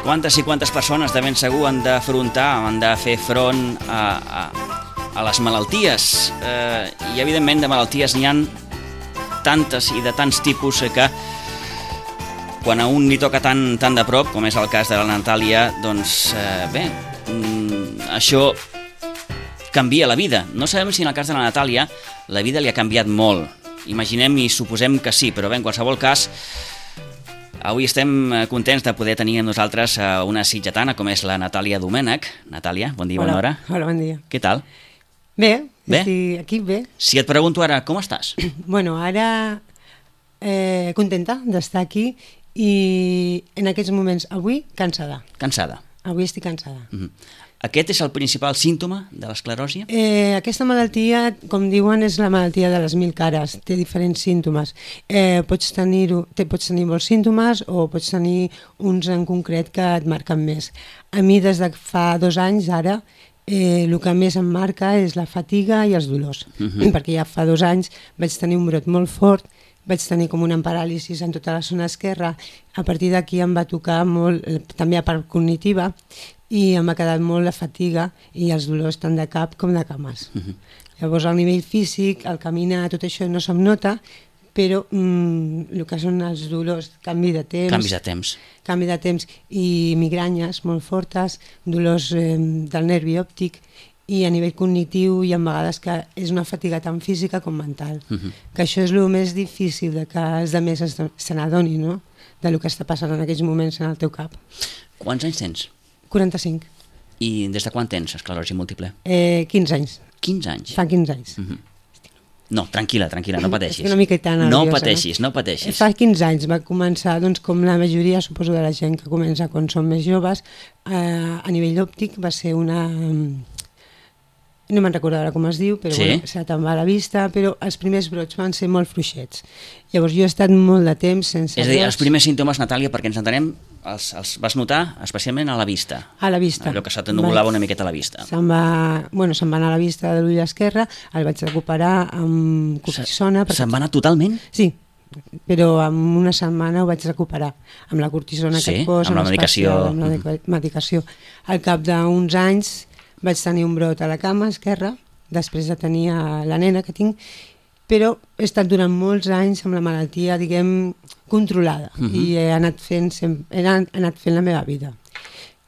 Quantes i quantes persones de ben segur han d'afrontar, han de fer front a les malalties. I evidentment de malalties n'hi ha tantes i de tants tipus que quan a un li toca tan de prop, com és el cas de la Natàlia, doncs bé, això canvia la vida. No sabem si en el cas de la Natàlia la vida li ha canviat molt. Imaginem i suposem que sí, però bé, en qualsevol cas, avui estem contents de poder tenir amb nosaltres una sitgetana com és la Natàlia Domènech. Natàlia, bon dia, bona hora. Hola, bon dia. Què tal? Bé, estic aquí bé. Si et pregunto ara, com estàs? Bueno, ara contenta d'estar aquí i en aquests moments, avui, cansada. Cansada. Avui estic cansada. Aquest és el principal símptoma de l'escleròsia? Aquesta malaltia, com diuen, és la malaltia de les 1000 cares. Té diferents símptomes. Pots tenir molts símptomes o pots tenir uns en concret que et marquen més. A mi, des de fa 2 anys, ara, el que més em marca és la fatiga i els dolors. Perquè ja fa 2 anys vaig tenir un brot molt fort, vaig tenir com una paràlisi en tota la zona esquerra. A partir d'aquí em va tocar molt, també a part cognitiva, i em ha quedat molt la fatiga i els dolors tant de cap com de cames. Llavors, al nivell físic, al caminar, tot això no se'm nota, però el que són els dolors, canvi de temps i migranyes molt fortes, dolors del nervi òptic, i a nivell cognitiu hi ha vegades que és una fatiga tant física com mental. Que això és el més difícil de que els altres se n'adonin, no? Del que està passant en aquells moments en el teu cap. Quants anys tens? 45. I des de quan tens esclerosi múltiple? 15 anys. 15 anys? Fa 15 anys. No, tranquil·la, no pateixis. Estic una miqueta nerviosa. No pateixis. Fa 15 anys va començar, doncs, com la majoria, suposo, de la gent que comença quan són més joves, a nivell òptic va ser una... No me'n recordo ara com es diu, però sí? Bueno, se te'n va a la vista, però els primers brots van ser molt fluixets. Llavors jo he estat molt de temps sense brots. És a dir, els primers símptomes, Natàlia, perquè ens entenem, els vas notar especialment a la vista. A la vista. Allò que se t'ennuvolava una miqueta a la vista. Se'n va anar a la vista de l'ull esquerre, el vaig recuperar amb cortisona. Se'n va anar totalment? Sí, però en una setmana ho vaig recuperar, amb la cortisona que et posa, amb la medicació. Amb la medicació. Al cap d'uns anys vaig tenir un brot a la cama esquerra, després de tenir la nena que tinc, però he estat durant molts anys amb la malaltia, diguem, controlada, i he anat fent la meva vida.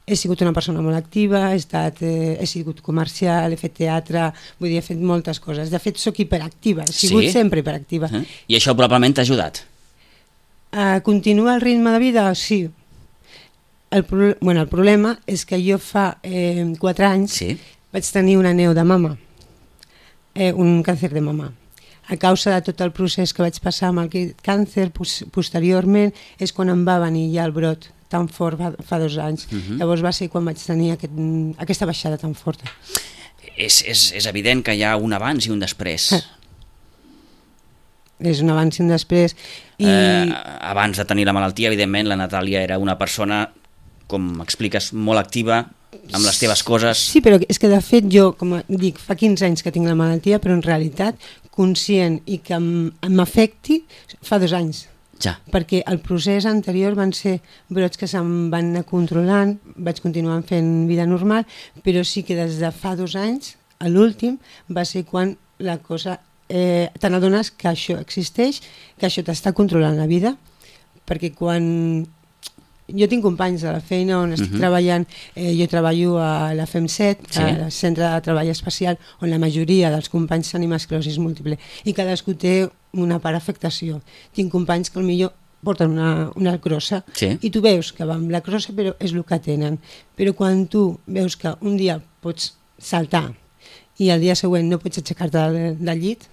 He sigut una persona molt activa, he sigut comercial, he fet teatre, vull dir, he fet moltes coses. De fet, sóc hiperactiva, he sigut sempre hiperactiva. I això probablement t'ha ajudat? Continua el ritme de vida? Sí. El problema és que jo fa 4 anys vaig tenir una neu de mama, un càncer de mama. A causa de tot el procés que vaig passar amb el càncer, posteriorment és quan em va venir ja el brot tan fort fa 2 anys. Llavors va ser quan vaig tenir aquesta baixada tan forta. És evident que hi ha un abans i un després. És un abans i un després. Abans de tenir la malaltia, evidentment, la Natàlia era una persona, com expliques, molt activa amb les teves coses. Sí, però és que de fet jo, com dic, fa 15 anys que tinc la malaltia, però en realitat conscient i que m'afecti fa 2 anys. Ja. Perquè el procés anterior van ser brots que se'm van anar controlant, vaig continuar fent vida normal, però sí que des de fa 2 anys, a l'últim, va ser quan la cosa... te n'adones que això existeix, que això t'està controlant la vida, perquè quan... Jo tinc companys de la feina on estic treballant, jo treballo a la FEM7, al Centre de Treball Especial, on la majoria dels companys tenim esclerosi múltiple, i cadascú té una part afectació. Tinc companys que potser porten una crossa, i tu veus que va amb la crossa, però és el que tenen. Però quan tu veus que un dia pots saltar i el dia següent no pots aixecar-te del llit,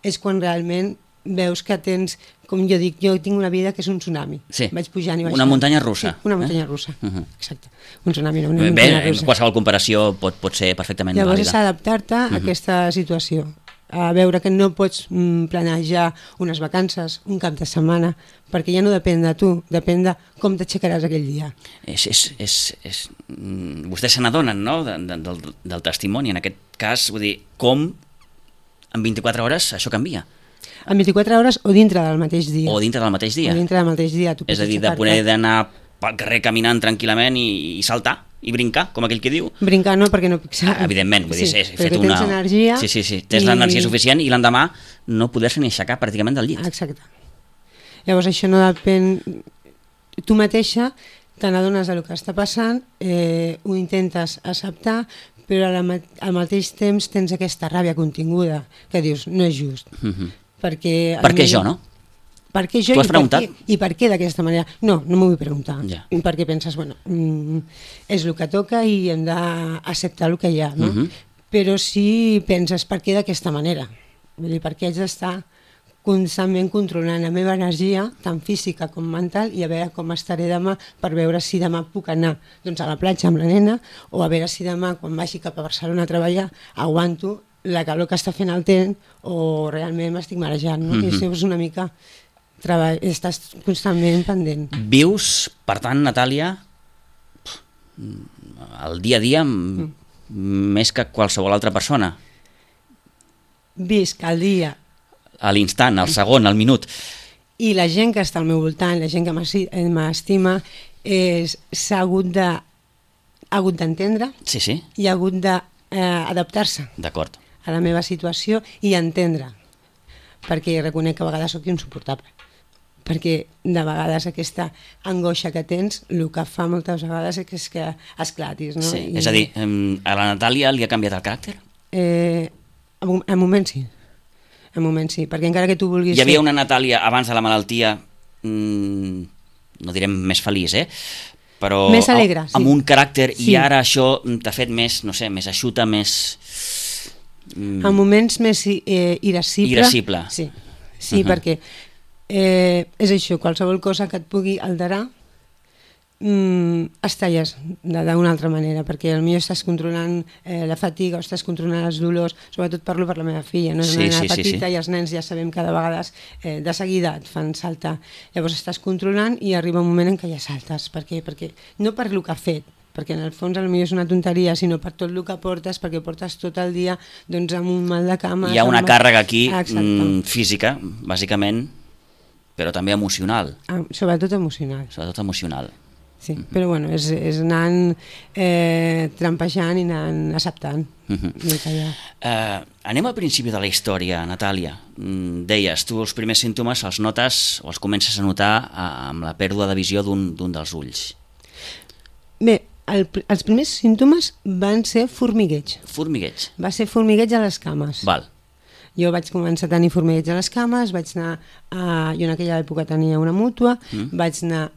és quan realment veus que tens, com jo dic, jo tinc una vida que és un tsunami. Vaig pujant i baixant. Una muntanya russa. Sí, una muntanya russa, exacte. Un tsunami, no, una muntanya russa. Qualsevol comparació pot ser perfectament vàlida. Llavors és adaptar-te a aquesta situació, a veure que no pots planejar unes vacances, un cap de setmana, perquè ja no depèn de tu, depèn de com t'aixecaràs aquell dia. Vostès se n'adonen, no?, del testimoni, en aquest cas, vull dir, com en 24 hores això canvia. En 24 hores o dintre del mateix dia. O dintre del mateix dia. O dintre del mateix dia. És a dir, de poder d'anar pel carrer caminant tranquil·lament i saltar i brincar, com aquell que diu. Brincar no, perquè no puc ser. Evidentment, vull dir, he fet tens energia. Sí, tens l'energia suficient i l'endemà no poder-se ni aixecar pràcticament del llit. Exacte. Llavors això no depèn... Tu mateixa te n'adones del que està passant, ho intentes acceptar, però al mateix temps tens aquesta ràbia continguda que dius, no és just. Perquè per què jo, no? Per què jo i per què d'aquesta manera? No m'ho vull preguntar. Ja. Perquè penses, bueno, és el que toca i hem d'acceptar el que hi ha, no? Però si penses per què d'aquesta manera, vull dir, per què haig d'estar constantment controlant la meva energia, tant física com mental, i a veure com estaré demà per veure si demà puc anar doncs, a la platja amb la nena, o a veure si demà, quan vagi cap a Barcelona a treballar, aguanto la calor que està fent el temps o realment m'estic marejant. No? I això és una mica... estàs constantment pendent. Vius, per tant, Natàlia, el dia a dia més que qualsevol altra persona. Visc el dia. A l'instant, al segon, al minut. I la gent que està al meu voltant, la gent que m'estima, s'ha hagut d'entendre i ha hagut d'adaptar-se a la meva situació i entendre, perquè reconec que a vegades soc insuportable, perquè de vegades aquesta angoixa que tens el que fa moltes vegades és que esclatis. No? Sí, és a dir, a la Natàlia li ha canviat el caràcter? En moments sí. En moment sí, perquè encara que tu vulguis... Hi havia una Natàlia abans de la malaltia, no direm més feliç, però més alegre, amb un caràcter, i ara això t'ha fet més, no sé, més eixuta, més... En moments més irascible. Sí, perquè és això, qualsevol cosa que et pugui alterar es talles d'una altra manera, perquè potser estàs controlant la fatiga o estàs controlant els dolors. Sobretot parlo per la meva filla, no? És una nena petita i els nens ja sabem que de vegades de seguida et fan saltar. Llavors estàs controlant i arriba un moment en què ja saltes. Perquè no per el que ha fet, perquè en el fons potser és una tonteria, sinó per tot el que portes, perquè portes tot el dia doncs, amb un mal de cames. Hi ha una càrrega aquí física, bàsicament, però també emocional. Sobretot emocional. Sí, però bueno, és anant trampejant i anant acceptant. Anem al principi de la història, Natàlia. Deies, tu els primers símptomes els notes o els comences a notar amb la pèrdua de visió d'un dels ulls. Bé, els primers símptomes van ser formigueig. Formigueig? Va ser formigueig a les cames. Val. Jo vaig començar a tenir formigueig a les cames, vaig anar jo en aquella època tenia una mútua, vaig anar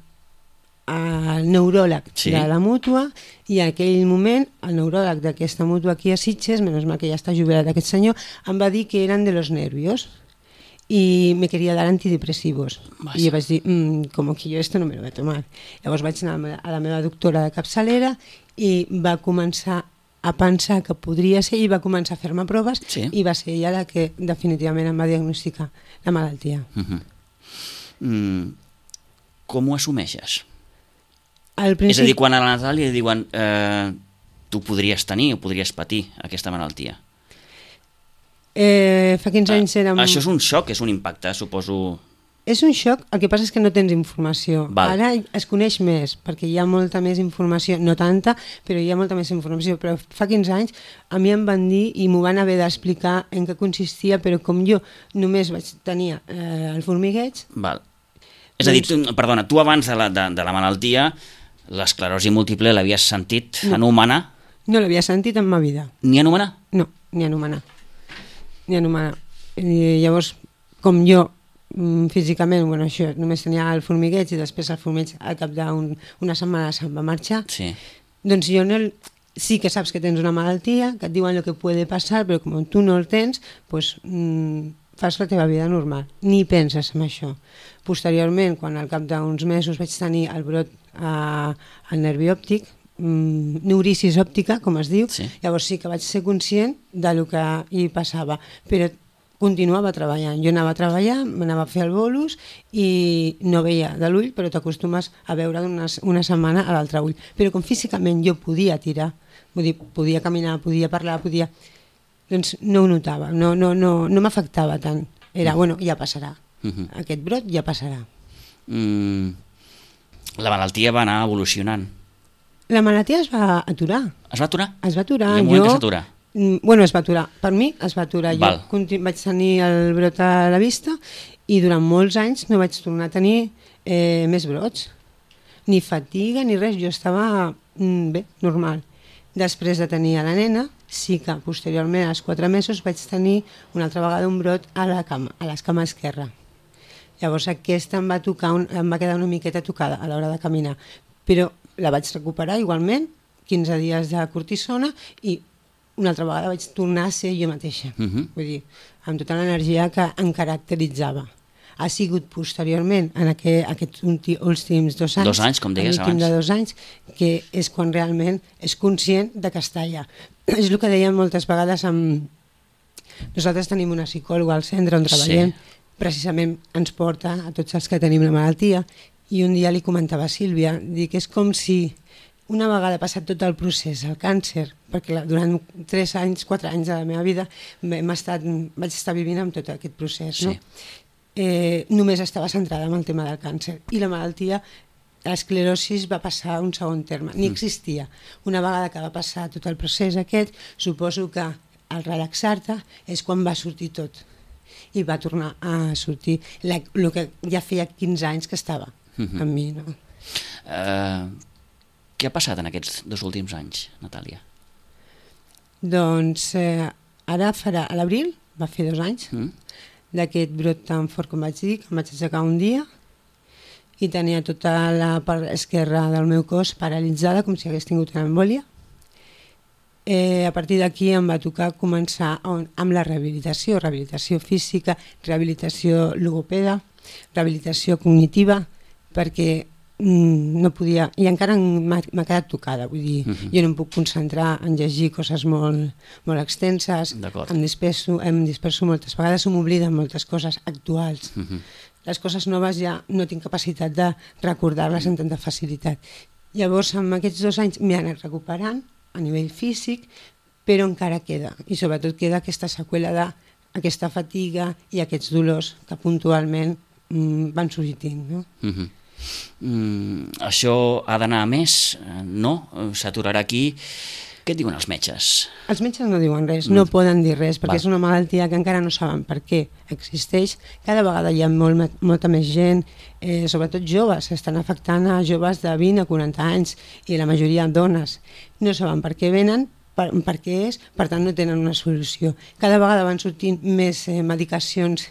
al neuròleg de la mútua, i en aquell moment el neuròleg d'aquesta mútua aquí a Sitges, menys mal que ja està jubilat aquest senyor, em va dir que eren de los nervios y me quería dar antidepresivos. I jo vaig dir, como que yo esto no me lo voy a tomar. Llavors vaig anar a la meva doctora de capçalera i va començar a pensar que podria ser i va començar a fer-me proves i va ser ella la que definitivament em va diagnosticar la malaltia. Com ho assumeixes? És a dir, quan a la Natàlia li diuen tu podries tenir o podries patir aquesta malaltia. Fa 15 anys érem... Això és un xoc, és un impacte, suposo... És un xoc, el que passa és que no tens informació. Ara es coneix més, perquè hi ha molta més informació, no tanta, però hi ha molta més informació. Però fa 15 anys a mi em van dir i m'ho van haver d'explicar en què consistia, però com jo només vaig tenir el formigueig... És a dir, perdona, tu abans de la malaltia l'esclerosi múltiple l'havies sentit anomenar? No l'havia sentit en ma vida. Ni anomenar? No, ni anomenar. Llavors, com jo físicament, això, només tenia el formigueig i després el formigueig al cap d'una setmana se'n va marxar, doncs jo sí que saps que tens una malaltia, que et diuen el que puede passar, però com tu no el tens, doncs fas la teva vida normal, ni penses en això. Posteriorment, quan al cap d'uns mesos vaig tenir el brot al nervi òptic, neurisis òptica, com es diu, llavors sí que vaig ser conscient del que hi passava, però continuava treballant. Jo anava a treballar, m'anava a fer el bolus i no veia de l'ull, però t'acostumes a veure una setmana a l'altre ull. Però com físicament jo podia tirar, vull dir, podia caminar, podia parlar, doncs no ho notava, no m'afectava tant. Era, ja passarà. Aquest brot ja passarà. La malaltia va anar evolucionant. La malaltia es va aturar. Es va aturar? Es va aturar. Hi ha un moment que s'atura. Bueno, es va aturar. Per mi es va aturar. Val. Jo vaig tenir el brot a la vista i durant molts anys no vaig tornar a tenir més brots. Ni fatiga ni res. Jo estava bé, normal. Després de tenir a la nena, sí que posteriorment, als 4 mesos, vaig tenir una altra vegada un brot a l'escama esquerra. Llavors aquesta em va quedar una miqueta tocada a l'hora de caminar, però la vaig recuperar igualment, 15 dies de cortisona, i una altra vegada vaig tornar a ser jo mateixa. Vull dir, amb tota l'energia que em caracteritzava. Ha sigut posteriorment, en aquests últims 2 anys, 2 anys, com deies abans, de 2 anys, que és quan realment és conscient de que està allà. És el que dèiem moltes vegades nosaltres tenim una psicòloga al centre on treballem, precisament ens porta a tots els que tenim la malaltia, i un dia li comentava a Sílvia, dic, és com si una vegada passat tot el procés, el càncer, perquè durant 4 anys de la meva vida vaig estar vivint amb tot aquest procés, no? Només estava centrada en el tema del càncer i la malaltia, l'esclerosi va passar a un segon terme, ni existia. Una vegada que va passar tot el procés aquest, suposo que al relaxar-te és quan va sortir tot i va tornar a sortir el que ja feia 15 anys que estava amb mi. No? Què ha passat en aquests 2 últims anys, Natàlia? Doncs ara farà, a l'abril, va fer 2 anys, d'aquest brot tan fort com vaig dir, que em vaig aixecar un dia i tenia tota la part esquerra del meu cos paralitzada, com si hagués tingut una embòlia. A partir d'aquí em va tocar començar amb la rehabilitació física, rehabilitació logopeda, rehabilitació cognitiva, perquè no podia, i encara m'ha quedat tocada, vull dir, jo no em puc concentrar en llegir coses molt extenses, em disperso moltes vegades, se m'obliden moltes coses actuals. Les coses noves ja no tinc capacitat de recordar-les amb tanta facilitat. Llavors, en aquests 2 anys m'he anat recuperant a nivell físic, però encara queda, i sobretot queda aquesta seqüela d'aquesta fatiga i aquests dolors que puntualment van sorgint, no? Això ha d'anar a més? No? S'aturarà aquí? Què et diuen els metges? Els metges no diuen res, no poden dir res, perquè és una malaltia que encara no saben per què existeix. Cada vegada hi ha molta més gent, sobretot joves, estan afectant a joves de 20 a 40 anys i la majoria dones. No saben per què venen, per què és, per tant no tenen una solució. Cada vegada van sortint més medicacions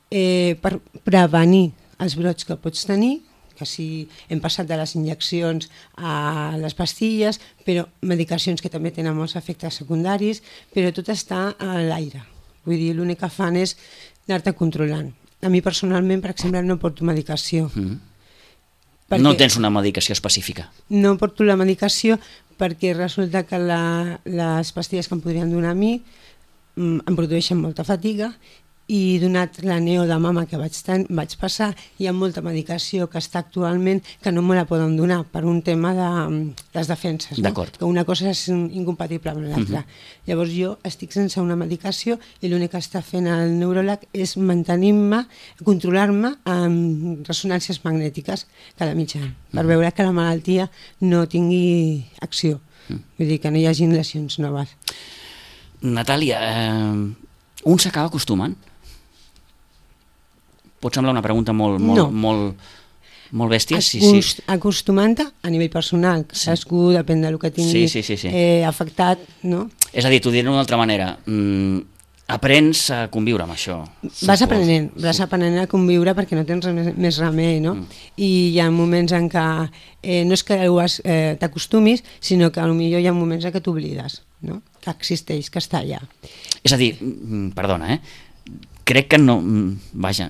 per prevenir els brots que pots tenir, que si hem passat de les injeccions a les pastilles, però medicacions que també tenen molts efectes secundaris, però tot està a l'aire. Vull dir, l'únic que fan és anar-te controlant. A mi personalment, per exemple, no porto medicació. No tens una medicació específica? No porto la medicació perquè resulta que les pastilles que em podrien donar a mi em produeixen molta fatiga, i donat la neo de mama que vaig passar, hi ha molta medicació que està actualment que no me la poden donar per un tema de les defenses, no? Que una cosa és incompatible amb l'altra. Llavors jo estic sense una medicació i l'únic que està fent el neuròleg és mantenir-me, controlar-me amb ressonàncies magnètiques cada mig any, per veure que la malaltia no tingui acció, vull dir que no hi hagi lesions noves. Natàlia, un s'acaba acostumant? Pot semblar una pregunta molt bèstia. Acostumant-te a nivell personal, cadascú depèn del que tingui afectat, no? És a dir, t'ho diré d'una altra manera, aprens a conviure amb això. Vas aprenent a conviure perquè no tens més remei, no? I hi ha moments en què no és que t'acostumis, sinó que potser hi ha moments en què t'oblides, no? Que existeix, que està allà. És a dir, perdona, crec que no, vaja,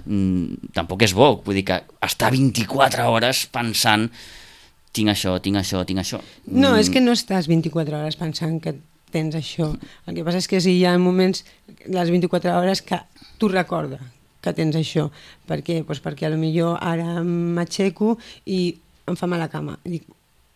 tampoc és bo, vull dir que estar 24 hores pensant tinc això. No, és que no estàs 24 hores pensant que tens això. El que passa és que hi ha moments, les 24 hores, que tu recordes que tens això. Per què? Doncs perquè potser ara m'aixeco i em fa mal la cama. Dic,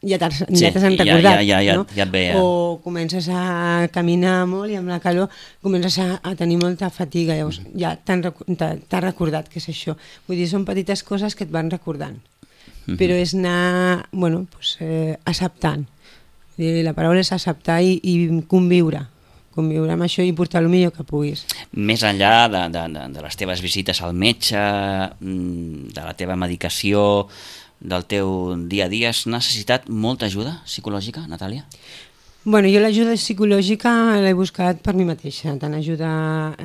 ja t'has recordat, no? Ja et ve. O comences a caminar molt i amb la calor comences a tenir molta fatiga, llavors ja t'has recordat que és això. Vull dir, són petites coses que et van recordant. però és anar, bueno, pues, acceptant. La paraula és acceptar i conviure amb això i portar el millor que puguis. Més enllà de les teves visites al metge, de la teva medicació, del teu dia a dia, has necessitat molta ajuda psicològica, Natàlia? Bueno, jo l'ajuda psicològica l'he buscat per mi mateixa, tant ajuda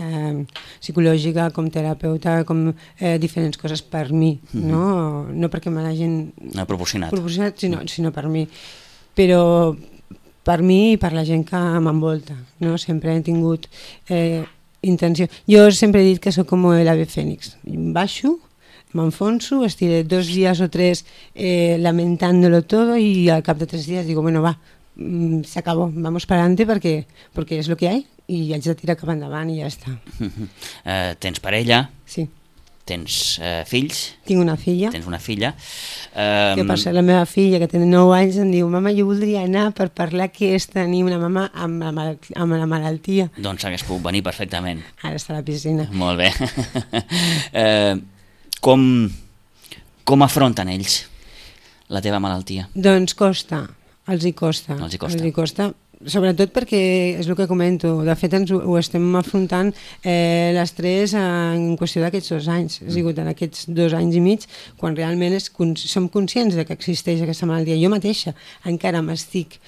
psicològica com terapeuta, com diferents coses per mi, no perquè me l'hagin proporcionat, sinó per mi. Però per mi i per la gent que m'envolta, no? Sempre he tingut intenció. Jo sempre he dit que sóc com l'ave fènix. Baixo, m'enfonso, estiré 2 días o 3 lamentándolo todo y al cap de 3 días digo, bueno, va, se acabó, vamos para adelante porque es lo que hay y haig de tirar cap endavant i ja està. Tens parella? Sí. Tens fills? Tinc una filla. Tens una filla. Que per ser la meva filla, que té 9 anys, em diu, mama, jo voldria anar per parlar què és tenir una mama amb la malaltia. Doncs hagués pogut venir perfectament. Ara està a la piscina. Molt bé. Com afronten ells la teva malaltia? Doncs costa, els hi costa. Sobretot perquè és el que comento, de fet ho estem afrontant les tres en qüestió d'aquests 2 anys, ha sigut en aquests 2 anys i mig quan realment som conscients de que existeix aquesta malaltia. Jo mateixa encara estic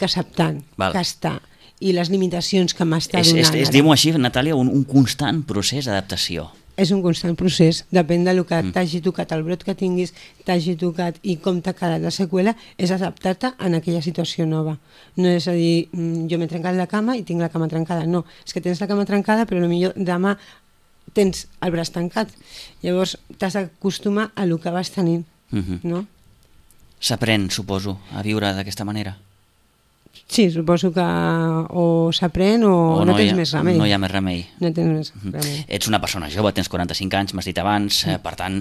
acceptant que està i les limitacions que m'està donant. Diu-m'ho així, Natàlia, un constant procés d'adaptació. És un constant procés, depèn del que t'hagi tocat, el brot que tinguis, t'hagi tocat i com t'ha quedat la seqüela, és adaptar-te en aquella situació nova. No és a dir, jo m'he trencat la cama i tinc la cama trencada, no, és que tens la cama trencada però potser demà tens el braç tancat, llavors t'has d'acostumar a el que vas tenint, no? S'aprèn, suposo, a viure d'aquesta manera? Sí, suposo que o s'aprèn o no tens més remei. No hi ha més remei. No tens més remei. Ets una persona jove, tens 45 anys, m'has dit abans, per tant,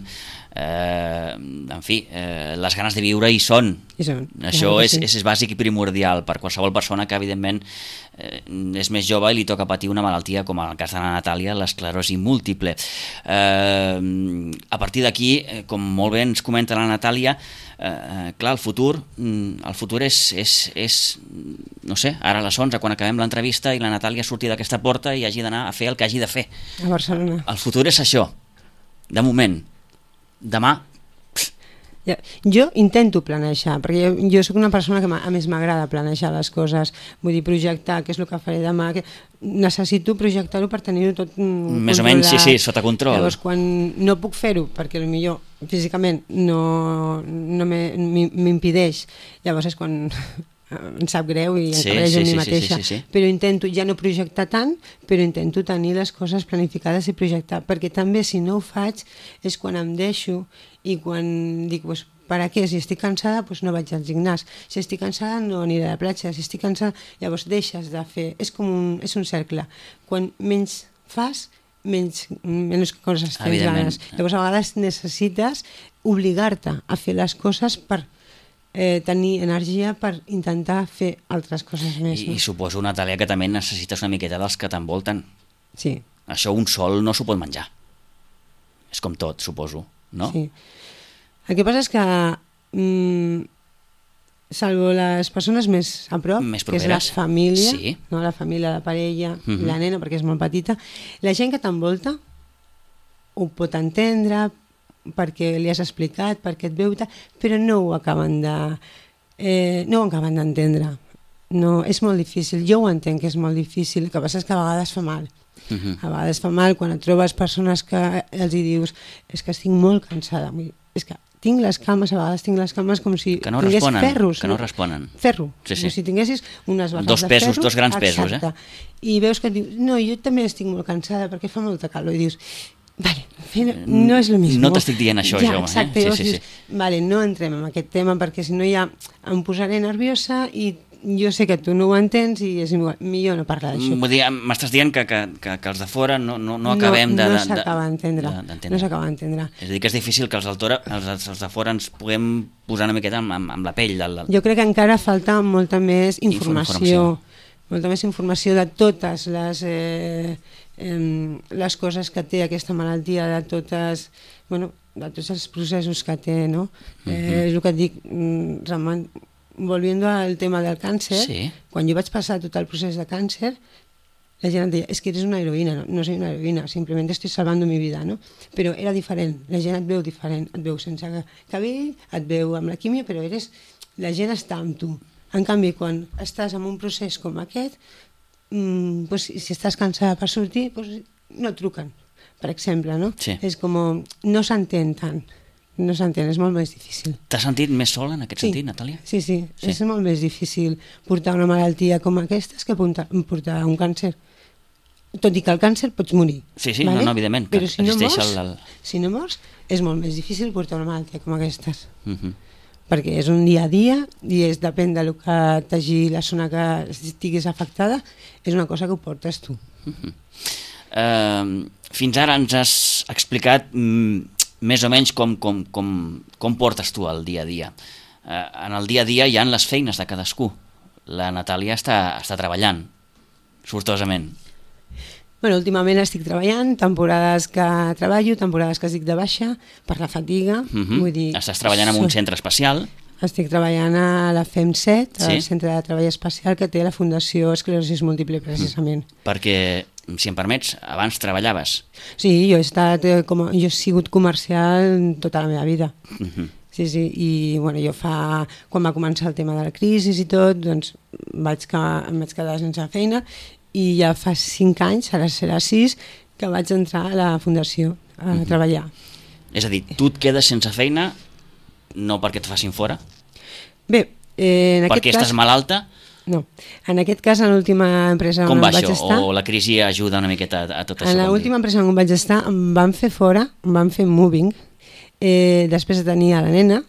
en fi, les ganes de viure hi són. Això és bàsic i primordial per qualsevol persona que, evidentment, és més jove i li toca patir una malaltia, com en el cas de la Natàlia, l'esclerosi múltiple. A partir d'aquí, com molt bé ens comenta la Natàlia, clar, el futur és no sé, ara a les 11 quan acabem l'entrevista i la Natàlia surti d'aquesta porta i hagi d'anar a fer el que hagi de fer a Barcelona. El futur és això, de moment. Demà jo intento planejar, perquè jo sóc una persona que a més m'agrada planejar les coses, vull dir, projectar què és el que faré demà, necessito projectar-ho per tenir-ho tot més o menys, sí, sota control. Llavors, quan no puc fer-ho, perquè potser físicament no m'impedeix, llavors és quan em sap greu i encarrego a mi mateixa. Però intento ja no projectar tant, però intento tenir les coses planificades i projectar, perquè també si no ho faig és quan em deixo i quan dic, pues, per a què? Si estic cansada, pues no vaig al gimnàs. Si estic cansada, no aniré a la platja. Si estic cansada, llavors deixes de fer. És un cercle. Quan menys fas, menys coses tens ganes. Llavors a vegades necessites obligar-te a fer les coses per tenir energia per intentar fer altres coses més. I suposo, Natàlia, que també necessites una miqueta dels que t'envolten. Sí. Això un sol no s'ho pot menjar. És com tot, suposo, no? Sí. El que passa és que salvo les persones més a prop, que és la família, no? La família, la parella, la nena, perquè és molt petita, la gent que t'envolta ho pot entendre perquè li has explicat, perquè et veu, però no ho acaben d'entendre. No, és molt difícil. Jo ho entenc que és molt difícil, el que passa és que a vegades fa mal. A vegades fa mal quan et trobes persones que els hi dius és que estic molt cansada. És que tinc les cames, a vegades tinc les cames com si tingués ferros. Que no responen. Ferro. Com si tinguessis unes barres de ferro. Dos grans pesos, I veus que et dius, no, jo també estic molt cansada perquè fa molta calor. I dius, vale, no és el mismo. No t'estic dient això, jo. Exacte, dius, vale, no entrem en aquest tema perquè si no ja em posaré nerviosa i jo sé que tu no ho entens i és millor no parlar d'això. M'estàs dient que els de fora no acabem de... No s'acaba d'entendre. No s'acaba d'entendre. És a dir, que és difícil que els de fora ens puguem posar una miqueta amb la pell. Jo crec que encara falta molta més informació. Molta més informació de totes les coses que té aquesta malaltia, de totes... Bueno, de tots els processos que té, no? És el que et dic, Ramon, volviendo al tema del càncer, quan jo vaig passar tot el procés de càncer, la gent em deia, és que eres una heroïna, no soy una heroïna, simplement estoy salvando mi vida, no? Però era diferent, la gent et veu diferent, et veu sense cabell, et veu amb la químia, però la gent està amb tu. En canvi, quan estàs en un procés com aquest, si estàs cansada per sortir, no et truquen, per exemple, no? És com, no s'entén tant. No s'entén, és molt més difícil. T'has sentit més sola en aquest sentit, Natàlia? Sí, és molt més difícil portar una malaltia com aquestes que portar un càncer. Tot i que el càncer pots morir. Sí, no, evidentment. Però si no mors, és molt més difícil portar una malaltia com aquestes. Perquè és un dia a dia i depèn del que t'hagi la zona que estiguis afectada, és una cosa que ho portes tu. Fins ara ens has explicat més o menys com portes tu el dia a dia. En el dia a dia hi ha les feines de cadascú. La Natàlia està treballant, sortosament. Últimament estic treballant, temporades que treballo, temporades que estic de baixa, per la fatiga. Estàs treballant en un centre especial? Estic treballant a la FEM7, al Centre de Treball Especial que té la Fundació Esclerosi Múltiple, precisament. Perquè, si em permets, abans treballaves. Sí, jo he sigut comercial tota la meva vida. Sí, i jo quan va començar el tema de la crisi i tot, doncs em vaig quedar sense feina i ja fa 5 anys, ara serà 6, que vaig entrar a la Fundació a treballar. És a dir, tu et quedes sense feina no perquè et facin fora? Bé, en aquest cas... Perquè estàs malalta? No. En aquest cas, en l'última empresa on vaig estar... Com va això? O la crisi ajuda una miqueta a tot això? En l'última empresa on vaig estar em van fer fora, em van fer moving, després de tenir a la nena,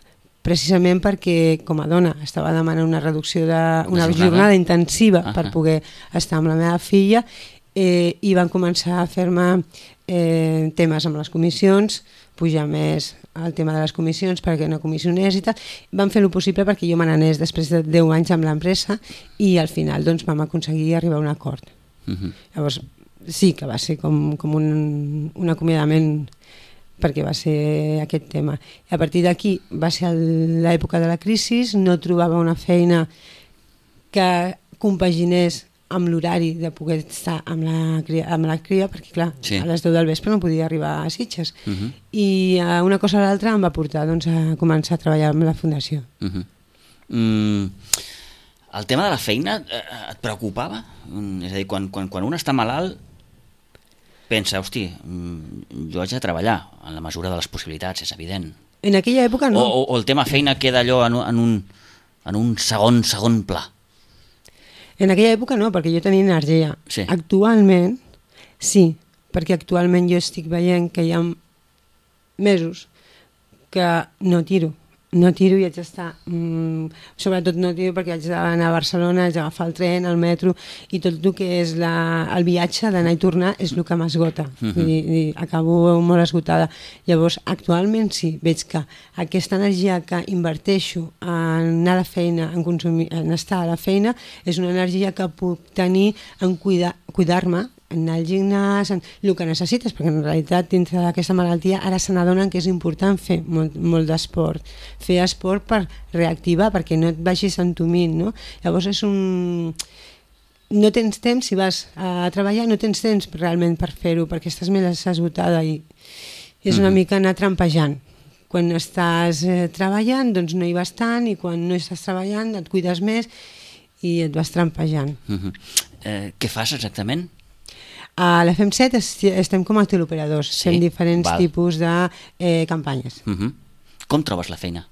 precisament perquè com a dona estava demanant una reducció una jornada intensiva per poder estar amb la meva filla i van començar a fer-me temes amb les comissions, pujar més el tema de les comissions perquè no comissionés i tal. Van fer el possible perquè jo me n'anés després de 10 anys amb l'empresa i al final doncs, vam aconseguir arribar a un acord. Llavors sí que va ser com un acomiadament perquè va ser aquest tema. I a partir d'aquí va ser l'època de la crisi, no trobava una feina que compaginés amb l'horari de poder estar amb la cria, perquè clar, a les 10 del vespre no podia arribar a Sitges. I una cosa o l'altra em va portar doncs, a començar a treballar amb la Fundació. El tema de la feina et preocupava? És a dir, quan un està malalt pensa, hosti, jo haig de treballar en la mesura de les possibilitats, és evident. En aquella època no. O el tema feina queda allò en un segon pla. En aquella època no, perquè jo tenia energia. Actualment, sí, perquè actualment jo estic veient que hi ha mesos que no tiro i haig d'estar, sobretot no tiro perquè haig d'anar a Barcelona, haig d'agafar el tren, el metro, i tot el que és el viatge d'anar i tornar és el que m'esgota, i acabo molt esgotada. Llavors, actualment sí, veig que aquesta energia que inverteixo en anar a la feina, en estar a la feina, és una energia que puc tenir en cuidar-me, en anar al gimnàs, en el que necessites, perquè en realitat dintre d'aquesta malaltia ara se n'adonen que és important fer molt d'esport, fer esport per reactivar, perquè no et vagis entumint, no? Llavors és no tens temps, si vas a treballar no tens temps realment per fer-ho, perquè estàs més esgotada i és una mica anar trampejant. Quan estàs treballant doncs no hi vas tant, i quan no estàs treballant et cuides més i et vas trampejant. Què fas exactament? A la FEM7 estem com a teleoperadors, fem diferents tipus de campanyes. Com trobes la feina?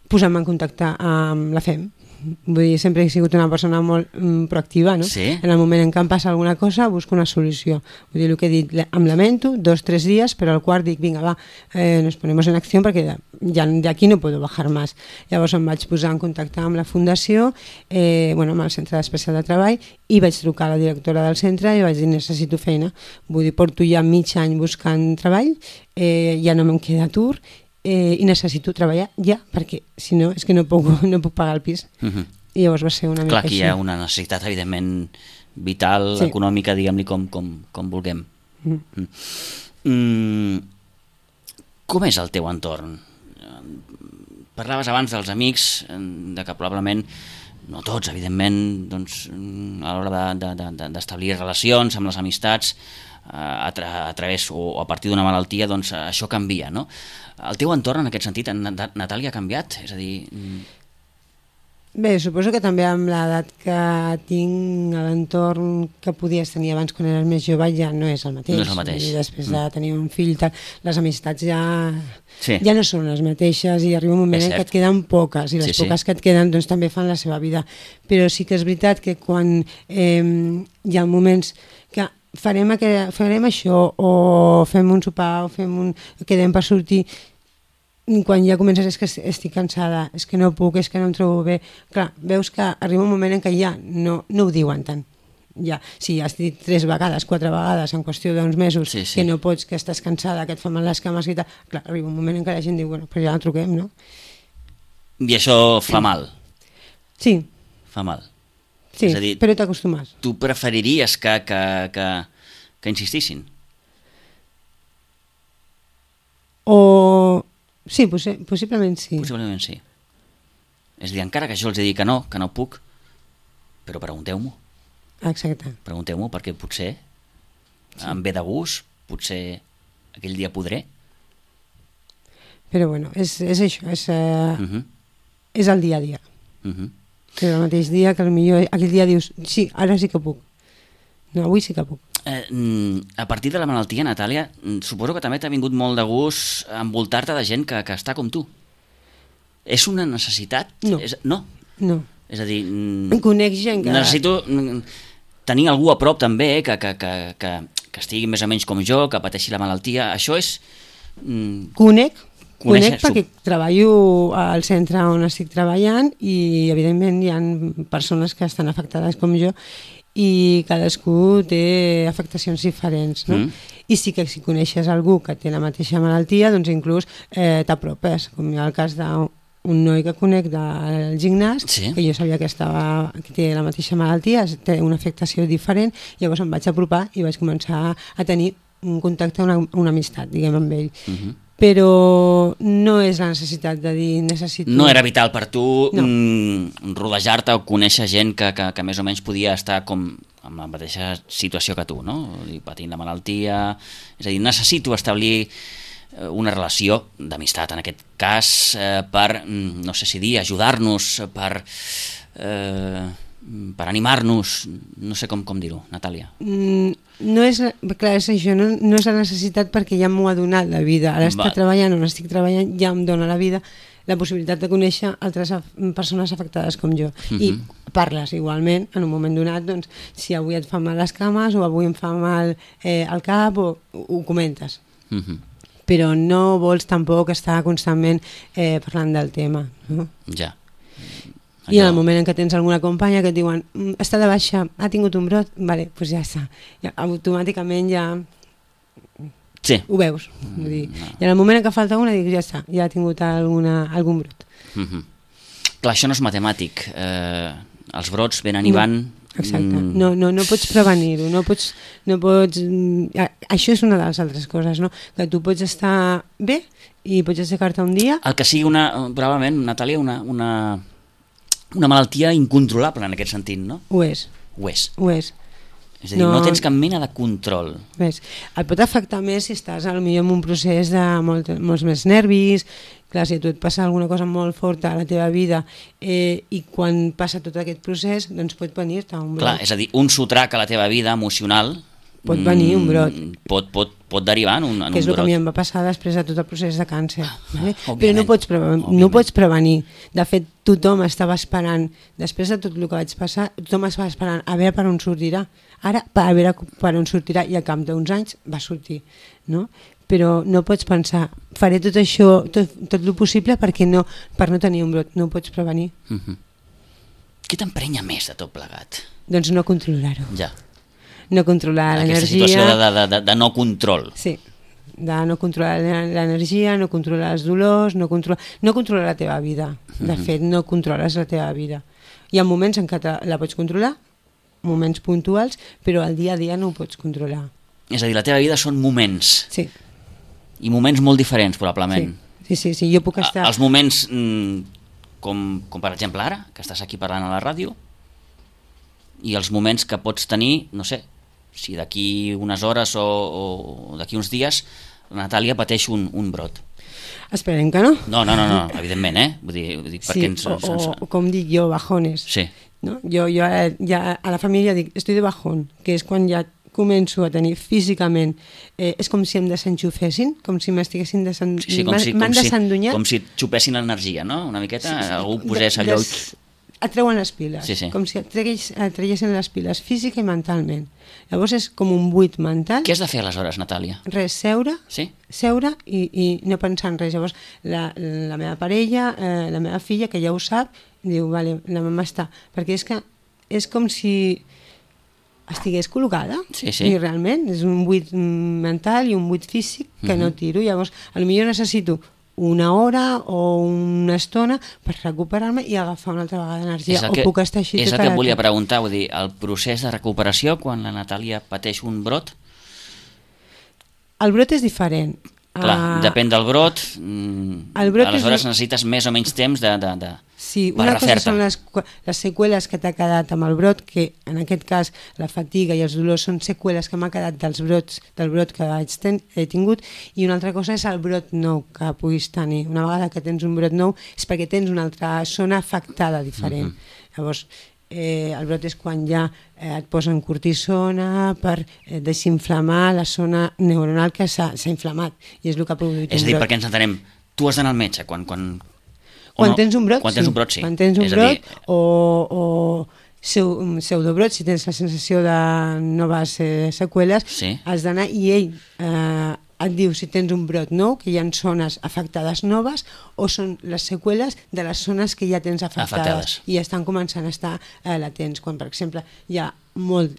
Posant-me en contacte amb la FEM. Vull dir, sempre he sigut una persona molt proactiva, no? En el moment en què em passa alguna cosa busco una solució. Vull dir, el que he dit, em lamento, 2-3 dies, però al quart dic, vinga, va, nos ponemos en acció perquè ja d'aquí no puedo bajar más. Llavors em vaig posar en contacte amb la Fundació, amb el Centre Especial de Treball, i vaig trucar a la directora del centre i vaig dir, necessito feina. Vull dir, porto ja mig any buscant treball, ja no me'n queda atur, i necessito treballar ja, perquè si no és que no puc pagar el pis. I llavors va ser una mica així. Clar, aquí hi ha una necessitat evidentment vital, econòmica, diguem-li com vulguem. Com és el teu entorn? Parlaves abans dels amics, de que probablement, no tots, evidentment, doncs, a l'hora d'establir relacions amb les amistats, a través o a partir d'una malaltia, doncs això canvia, no? El teu entorn, en aquest sentit, Natàlia, ha canviat? És a dir... Bé, suposo que també amb l'edat que tinc, l'entorn que podies tenir abans quan eres més jove ja no és el mateix. No és el mateix. I després de tenir un fill, les amistats ja no són les mateixes i arriba un moment en què et queden poques i les poques que et queden doncs també fan la seva vida. Però sí que és veritat que quan hi ha moments que farem això o fem un sopar o quedem per sortir, quan ja comences és que estic cansada, és que no puc, és que no em trobo bé. Clar, veus que arriba un moment en què ja no ho diuen tant. Ja, si has dit 3 vegades, 4 vegades en qüestió d'uns mesos que no pots, que estàs cansada, que et fa mal les cames i tal, clar, arriba un moment en què la gent diu, bueno, però ja la truquem, no? I això fa mal? Sí. Fa mal? Sí, dir, però t'acostumes. Tu preferiries que insistissin? O... Sí, possiblement sí. Possiblement sí. És a dir, encara que jo els he dit que no puc, però pregunteu-m'ho. Exacte. Pregunteu-m'ho perquè potser em ve de gust, potser aquell dia podré. Però bueno, és això, és el dia a dia. Que el mateix dia que potser aquell dia dius, sí, ara sí que puc. No, avui sí que puc. A partir de la malaltia, Natàlia, suposo que també t'ha vingut molt de gust envoltar-te de gent que està com tu. És una necessitat? No. No. És a dir... Conec gent que... Necessito tenir algú a prop també que estigui més o menys com jo, que pateixi la malaltia. Això és... Conec perquè treballo al centre on estic treballant i evidentment hi ha persones que estan afectades com jo i cadascú té afectacions diferents, no? I sí que si coneixes algú que té la mateixa malaltia, doncs inclús t'apropes, com hi ha el cas d'un noi que conec del gimnàs, que jo sabia que té la mateixa malaltia, té una afectació diferent, llavors em vaig apropar i vaig començar a tenir un contacte, una amistat, diguem, amb ell. Però no és la necessitat de dir necessito... No era vital per tu rodejar-te o conèixer gent que més o menys podia estar com en la mateixa situació que tu, no? Patint la malaltia... És a dir, necessito establir una relació d'amistat, en aquest cas, per, no sé si dir, ajudar-nos, per animar-nos, no sé com dir-ho, Natàlia. No és, clar, és això, no és la necessitat perquè ja m'ho ha donat la vida. Ara estic treballant on estic treballant, ja em dona la vida la possibilitat de conèixer altres persones afectades com jo. I parles igualment, en un moment donat, doncs, si avui et fan mal les cames o avui em fa mal el cap, ho comentes. Però no vols tampoc estar constantment parlant del tema. No? Ja. I en el moment en què tens alguna companya que et diuen està de baixa, ha tingut un brot, vale, doncs ja està. Ja, automàticament ja ho veus. Vull dir, i en el moment en què falta una dius ja està, ja ha tingut algun brot. Clar, això no és matemàtic. Els brots venen i van... Exacte. No pots prevenir-ho, no pots... Això és una de les altres coses, no? Que tu pots estar bé i pots aixecar-te un dia... El que sigui probablement, Natàlia, una malaltia incontrolable en aquest sentit, no? Ho és. És a dir, no tens cap mena de control. Ves, et pot afectar més si estàs potser en un procés de molts més nervis. Clar, si a tu et passa alguna cosa molt forta a la teva vida i quan passa tot aquest procés, doncs pot venir-te un brot. Clar, és a dir, un sotrac a la teva vida emocional pot venir un brot. Pot derivar en un brot. Que és el que a mi em va passar després de tot el procés de càncer. Però no pots prevenir. De fet, tothom estava esperant, després de tot el que vaig passar, tothom estava esperant a veure per on sortirà. Ara, a veure per on sortirà, i al cap d'uns anys va sortir. No? Però no pots pensar, faré tot això, tot el possible per no tenir un brot. No ho pots prevenir. Què t'emprenya més de tot plegat? Doncs no controlar-ho. Ja. No controlar l'energia... Aquesta situació de no control. Sí, de no controlar l'energia, no controlar els dolors, no controlar la teva vida. De fet, no controles la teva vida. Hi ha moments en què la pots controlar, moments puntuals, però el dia a dia no ho pots controlar. És a dir, la teva vida són moments. Sí. i moments molt diferents, probablement. Sí, jo puc estar... Els moments, com per exemple ara, que estàs aquí parlant a la ràdio, i els moments que pots tenir, no sé, si d'aquí unes hores o d'aquí uns dies la Natàlia pateix un brot. Esperem que no. No, evidentment, Vull dir perquè o com dic jo, bajones. Sí. No? Jo ja a la família dic, estoy de bajón, que és quan ja començo a tenir físicament, és com si em desenxufessin, com si m'estiguessin desendunyat. Com si xupessin l'energia, no? Una miqueta, algú posés allò... Et treuen les piles, com si et traiessin les piles física i mentalment. Llavors és com un buit mental. Què has de fer aleshores, Natàlia? Res, seure i no pensar en res. Llavors la meva parella, la meva filla, que ja ho sap, diu, vale, la mama està. Perquè és que és com si estigués col·locada, i realment és un buit mental i un buit físic que no tiro. Llavors, potser necessito una hora o una estona per recuperar-me i agafar una altra vegada energia, o puc estar així és el que et volia preguntar, vull dir, el procés de recuperació quan la Natàlia pateix un brot? El brot és diferent. Clar, depèn del brot, aleshores necessites més o menys temps de sí, una cosa són les seqüeles que t'ha quedat amb el brot, que en aquest cas la fatiga i els dolors són seqüeles que m'ha quedat del brot que he tingut, i una altra cosa és el brot nou que puguis tenir. Una vegada que tens un brot nou és perquè tens una altra zona afectada diferent. Llavors, el brot és quan ja et posen cortisona per desinflamar la zona neuronal que s'ha inflamat, i és el que ha produït un brot. És a dir, perquè ens entenem, tu has d'anar al metge quan tens un brot, quan tens un brot, sí. Quan tens un brot o pseudobrot, si tens la sensació de noves seqüeles, has d'anar, i ell et diu si tens un brot nou, que hi ha zones afectades noves, o són les seqüeles de les zones que ja tens afectades i estan començant a estar latents. Quan, per exemple, hi ha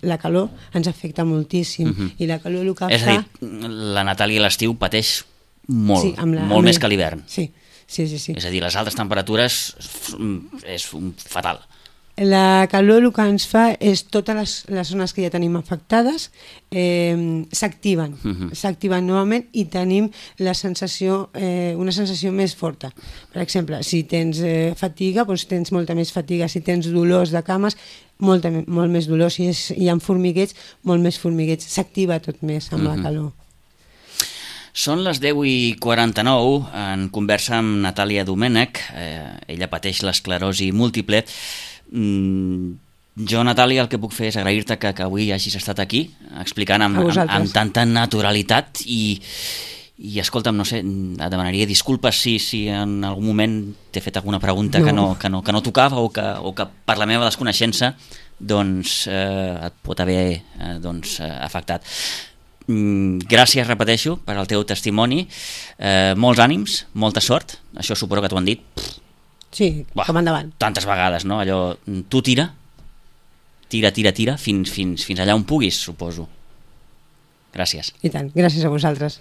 la calor, ens afecta moltíssim, i la calor el que fa... És a dir, la Natàlia a l'estiu pateix molt, molt més que a l'hivern. Sí. És a dir, les altes temperatures és fatal. La calor el que ens fa és totes les zones que ja tenim afectades s'activen novament, i tenim una sensació més forta. Per exemple, si tens fatiga, doncs tens molta més fatiga. Si tens dolors de cames, molt més dolor. Si hi ha formigueig, molt més formigueig. S'activa tot més amb la calor. Són les 10:49, en conversa amb Natàlia Domènech. Ella pateix l'esclerosi múltiple. Jo, Natàlia, el que puc fer és agrair-te que avui hagis estat aquí explicant amb tanta naturalitat i escolta'm, no sé, et demanaria disculpes si en algun moment t'he fet alguna pregunta que no tocava o que per la meva desconeixença doncs et pot haver afectat. Gràcies, repeteixo, per al teu testimoni, molts ànims, molta sort, això suposo que t'ho han dit. Sí, com endavant. Tantes vegades, no? Allò, tu tira fins allà on puguis, suposo. Gràcies. I tant, gràcies a vosaltres.